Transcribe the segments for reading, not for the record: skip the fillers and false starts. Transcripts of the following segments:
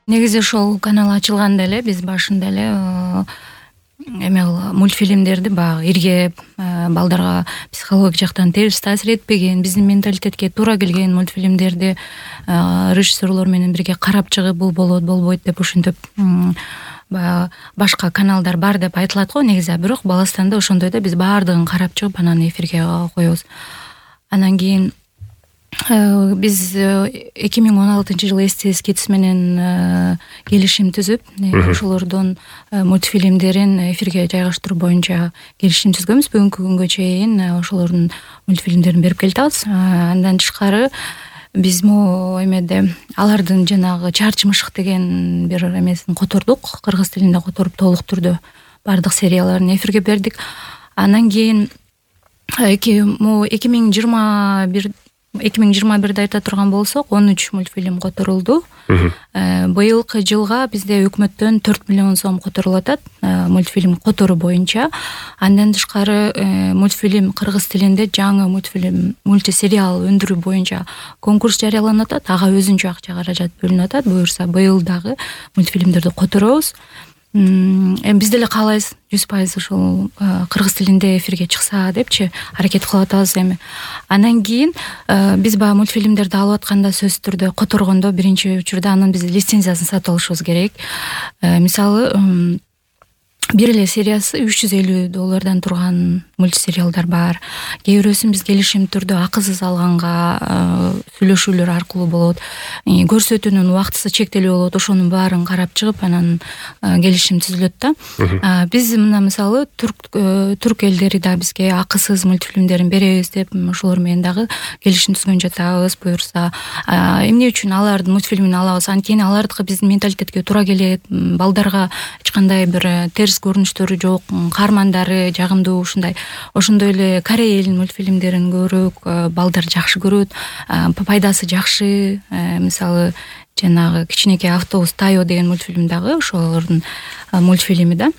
Негизи ошол канал ачылганда эле биз башында эле эме мультфильмдерди баягы иргеп, балдарга психологик жактан терс таасир этпеген, биздин менталитетке туура келген мультфильмдерди режиссерлор менен бирге карап чыгып, бул болот, болбойт деп ушинтип баягы башка каналдар бар деп айтылат го негизи, бирок Баластанда ошондой да биз баардыгын карап чыгып анан эфирге коебуз. Анан кийин биз 2016-жылы СТС Kids менен келишим түзүп, ошолордун мультфильмдерин эфирге жайгаштыруу боюнча келишим түзгөнбүз. Бүгүнкү күнгө чейин ошолордун мультфильмдерин берип келатабыз. Андан тышкары биз эмеде алардын жанагы Чарчмышык деген бир эмесин котордук, кыргыз тилинде которуп толук түрдө бардык серияларын эфирге бердик. Анан кийин 2021 айта турган болсок, 13 мультфильм которулду. Быйылкы жылга бизде өкмөттөн 4 миллион сом которулуп атат мультфильм которуу боюнча. Андан тышкары мультфильм кыргыз тилинде жаңы мультисериал өндүрүү боюнча конкурс жарыяланып атат. Ага өзүнчө акча каражат бөлүнүп атат. Буюрса быйыл дагы мультфильмдерди которобуз. Биз деле каалайбыз 100% ошол кыргыз тилинде эфирге чыкса депчи аракет кылып атабыз эми. Анан кийин биз баягы мультфильмдерди алып атканда сөзсүз түрдө которгондо биринчи учурда анын биз лицензиясын сатып алышыбыз керек. Мисалы бир эле сериясы $350 турган мультсериалдар бар. Кээ бирөөсүн биз келишим түрдө акысыз алганга сүйлөшүүлөр аркылуу болот. Көрсөтүүнүн убактысы чектелүү болот. Ошонун баарын карап чыгып, анан келишим түзүлөт да. Биз мына мисалы түрк элдери да бизге акысыз мультфильмдерин беребиз деп ошолор менен дагы келишим түзгөн жатабыз. Буюрса эмне үчүн алардын мультфильмин алабыз? Анткени алардыкы биздин менталитетке туура келет. Балдарга эч кандай бир терс көрүнүштөрү жок, каармандары жагымдуу, ошондой эле Корея элинин мультфильмдерин көбүрөөк балдар жакшы көрөт, пайдасы жакшы. Мисалы жанагы кичинекей автобус Тайо деген мультфильм дагы ошолордун мультфильми да.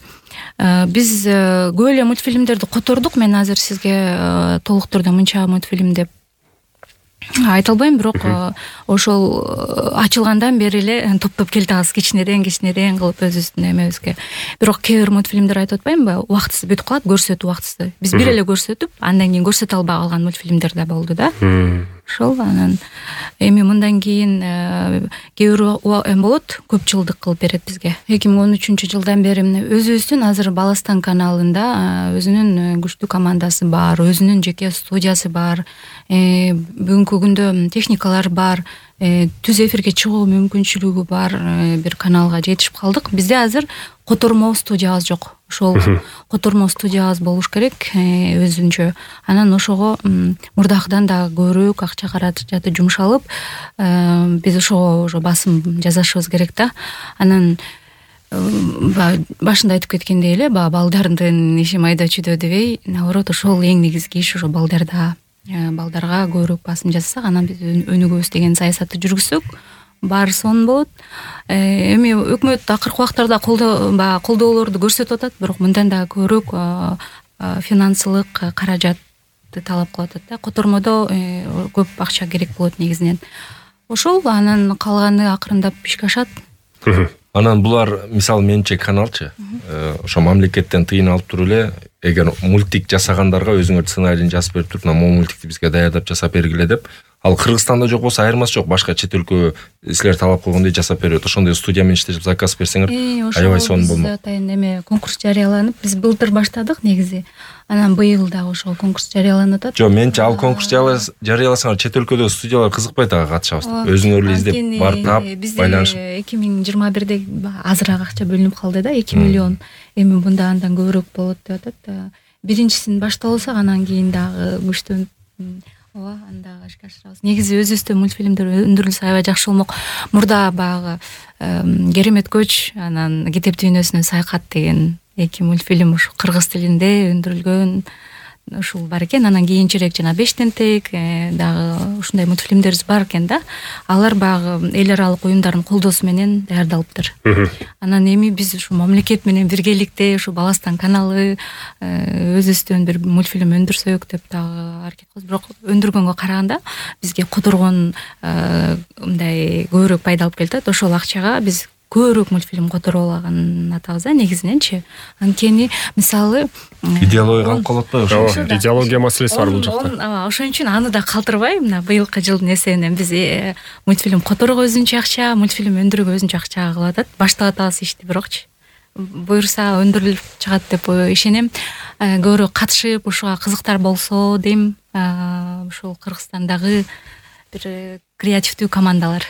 Биз көп эле мультфильмдерди котордук. Мен азыр сизге толук түрдө мынча мультфильм деп айта албайм, бирок ошол ачылгандан бери эле топтоп келатабыз, кичинеден кылып өзүбүздүн эмебизге. Бирок кээ бир мультфильмдер айтып атпаймынбы, убактысы бүтүп калат, көрсөтүү убактысы. Биз бир эле көрсөтүп, андан кийин көрсөтө албай калган мультфильмдер да болду да. Ошол анан эми мындан кийин кээ бир болот, көп жылдык кылып берет бизге. 2013-жылдан бери өзүбүздүн азыр Баластан каналында өзүнүн күчтүү командасы бар, өзүнүн жеке студиясы бар. Бүгүнкү күндө техникалар бар, түз эфирге чыгуу мүмкүнчүлүгү бар бир каналга жетишип калдык. Бизде азыр котормо студиябыз жок. Ошол котормо студиябыз болуш керек өзүнчө. Анан ошого мурдакыдан да көбүрөөк акча каражаты жумшалып, биз ошого басым жасашыбыз керек да. Анан башында айтып кеткендей эле, балдардын иши майда чүйдө дебей, наоборот, ошол эң негизги иш, ошо балдарга көбүрөөк басым жасасак, анан биз өнүгөбүз деген саясатты жүргүзсөк, баары сонун болот. Эми өкмөт акыркы убактарда колдоолорду көрсөтүп атат, бирок мындан да көбүрөөк финансылык каражатты талап кылып атат да. Котормодо көп акча керек болот негизинен. Ошол, анан калганы акырындап ишке ашат. Анан булар мисалы менче каналчы, ошо мамлекеттен тыйын алып туруп эле, эгер мультик жасагандарга өзүңөр сценарийин жазып берип туруп, могу мультикти бизге даярдап жасап бергиле деп. Ал Кыргызстанда жок болсо айырмасы жок, башка чет өлкө силер талап кылгандай жасап берет. Ошондой студия менен иштешип заказ берсеңер, аябай сонун болмок. Атайын эме конкурс жарыяланып, биз былтыр баштадык негизи. Анан быйыл дагы ошол конкурс жарыяланып атат. Жок, менчи ал конкурс жарыяласаңар чет өлкөдө студиялар кызыкпайт ага катышабыз деп. Өзүңөр эле издеп барып таап, байланышып. 2021-де азыраак акча бөлүнүп калды да, 2 миллион. Эми мында андан көбүрөөк болот деп атат. Биринчисин баштап алсак, анан кийин дагы күчтөн анда ишке ашырабыз. Негизи өзүбүздө мультфильмдер өндүрүлсө аябай жакшы болмок. Мурда баягы Керемет көч, анан Кетеп дүйнөсүнө саякат деген 2 мультфильм ушу кыргыз тилинде өндүрүлгөн ушул бар экен. Анан кийинчерээк жана 5 тентек дагы ушундай мультфильмдерибиз бар экен да. Алар баягы эл аралык уюмдардын колдоосу менен даярдалыптыр. Анан эми биз ушу мамлекет менен биргеликте ушу Баластан каналы өзүбүздөн бир мультфильм өндүрсөк деп дагы аракет кылабыз. Бирок өндүргөнгө караганда бизге которгон мындай көбүрөөк пайда алып келет. Ошол акчага биз көбүрөөк мультфильм которуп алганын атабыз негизиненчи. Анткени мисалы идеология калып калат атпайбы ошо? Идеология маселеси бар бул жакта. Ошон үчүн аны да калтырбай, мына быйылкы жылдын эсебинен биз мультфильм которууга өзүнчө акча, мультфильм өндүрүүгө өзүнчө акча кылып атат. Баштап атабыз ишти, бирокчу буюрса өндүрүлүп чыгат деп ишенем. Көбүрөөк катышып, ушуга кызыктар болсо дейм, ушул Кыргызстандагы бир креативдүү командалар.